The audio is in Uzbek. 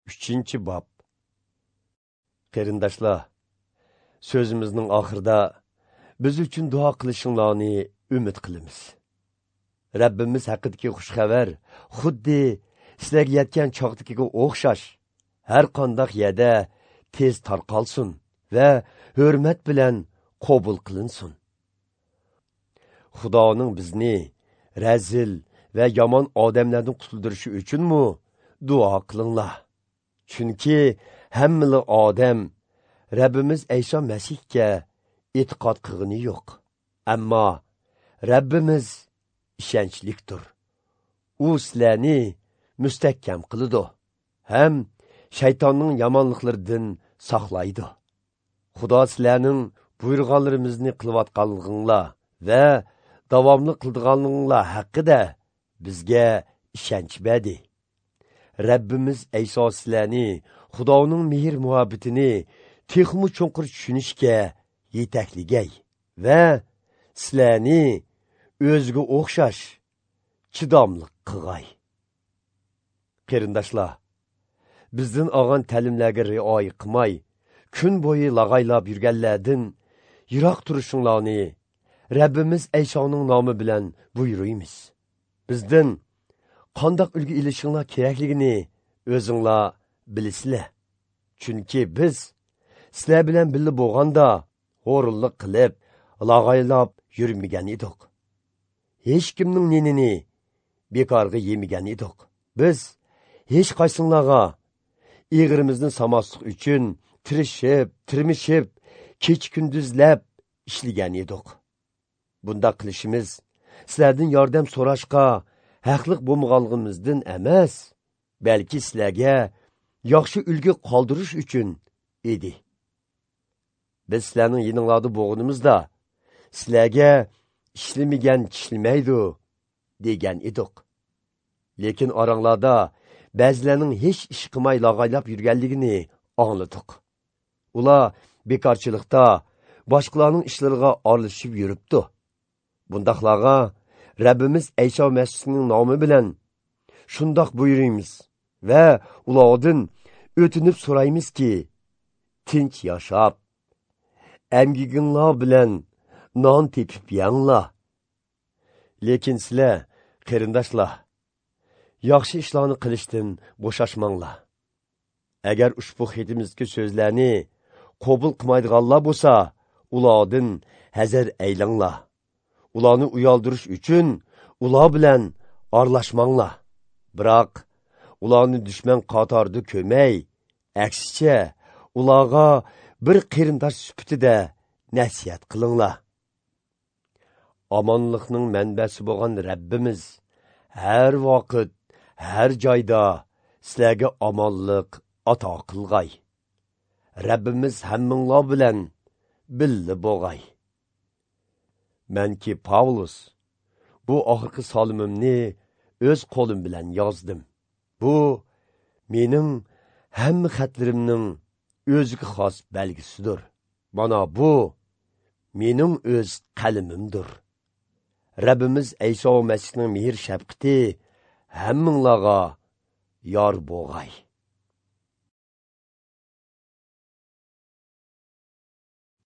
3-bob. Qarindoshlar, so'zimizning oxirida biz uchun duo qilishinglarni umid qilamiz. Rabbimiz haqidagi xush xabar xuddi sizlarga yetgan chog'dagiga o'xshash har qanday yerda tez tarqalsin va hurmat bilan qabul qilinsin. Xudoning bizni razil va yomon odamlardan qutuldirishi uchunmi duo qilinglar. Chunki hammali odam Rabbimiz Ayso Masihga e'tiqod qilgani yo'q. Ammo Rabbimiz ishonchlikdir. U sizlarni mustahkam qiladi ham shaytonning yomonliklaridan saqlaydi. Xudo sizlarning buyurganlarimizni qilayotganliginglar va davomli qildiganliginglar haqida bizga ishonch berdi. Rabbimiz Ayso sizlarni Xudoning mehr muhabbatini texmi chuqur tushunishga yetakligay va sizlarni o'ziga o'xshash chidamli qilg'ay. Qarindoshlar, bizdan olgan ta'limlarga rioya qilmay, kun bo'yi lag'aylab yurganlardan yiroq turishinglarni Rabbimiz Aysoning nomi bilan buyuruymiz. Bizdan qandoq ulgu ilishinglar kerakligini o'zinglar bilasizlar. Chunki biz sizlar bilan birga bo'lganda xo'rlik qilib, lag'aylab yurmagan edik. Hech kimning nenini bekorga yemagan edik. Biz hech qaysinglarga eg'irimizni samaslik uchun tirishib, tirmishib, kech kunduzlab ishlagan edik. Bunda qilishimiz sizlardan yordam so'rashga haqliq bo'lmaganligimizdan emas, balki sizlarga yaxshi ulgu qoldirish uchun edi. Biz sizlarning yininglarda bo'lganimizda sizlarga ishlamagan tishlamaydi degan edik. Lekin oranglarda ba'zilarning hech ish qilmay lag'aylab yurganligini angladik. Ular bekorchilikda boshqalarning ishlariga aralashib yuribdi. Bundaqlarga Rabbimiz Ayso Masihning nomi bilan shundoq buyuraymiz va ulardan o'tinib so'raymizki, tinch yashab, emgiginglar bilan non tepib yanglar. Lekin sizlar, qarindoshlar, yaxshi ishlarni qilishdan bo'shashmanglar. Agar ushbu xatimizdagi so'zlarni qabul qilmaydiganlar bo'lsa, ulardan hazar aylanglar. Ularni uyaldirish uchun ular bilan aralashmanglar. Biroq ularni dushman qatorida ko'may, aksicha ularga bir qarindosh sifatida nasihat qilinglar. Omonlikning manbasi bo'lgan Rabbimiz har vaqt, har joyda sizlarga omonlik ato qilg'ay. Rabbimiz hammanglar bilan birga bo'lg'ay. Menki Pavlus bu oxirgi solimimni o'z qo'lim bilan yozdim. Bu mening hamma xatlarimning o'ziga xos belgisidir. Mana bu mening o'z qalamimdir. Rabbimiz Ayso Masihning mehr shafqati hammanglarga yor bo'lg'ay.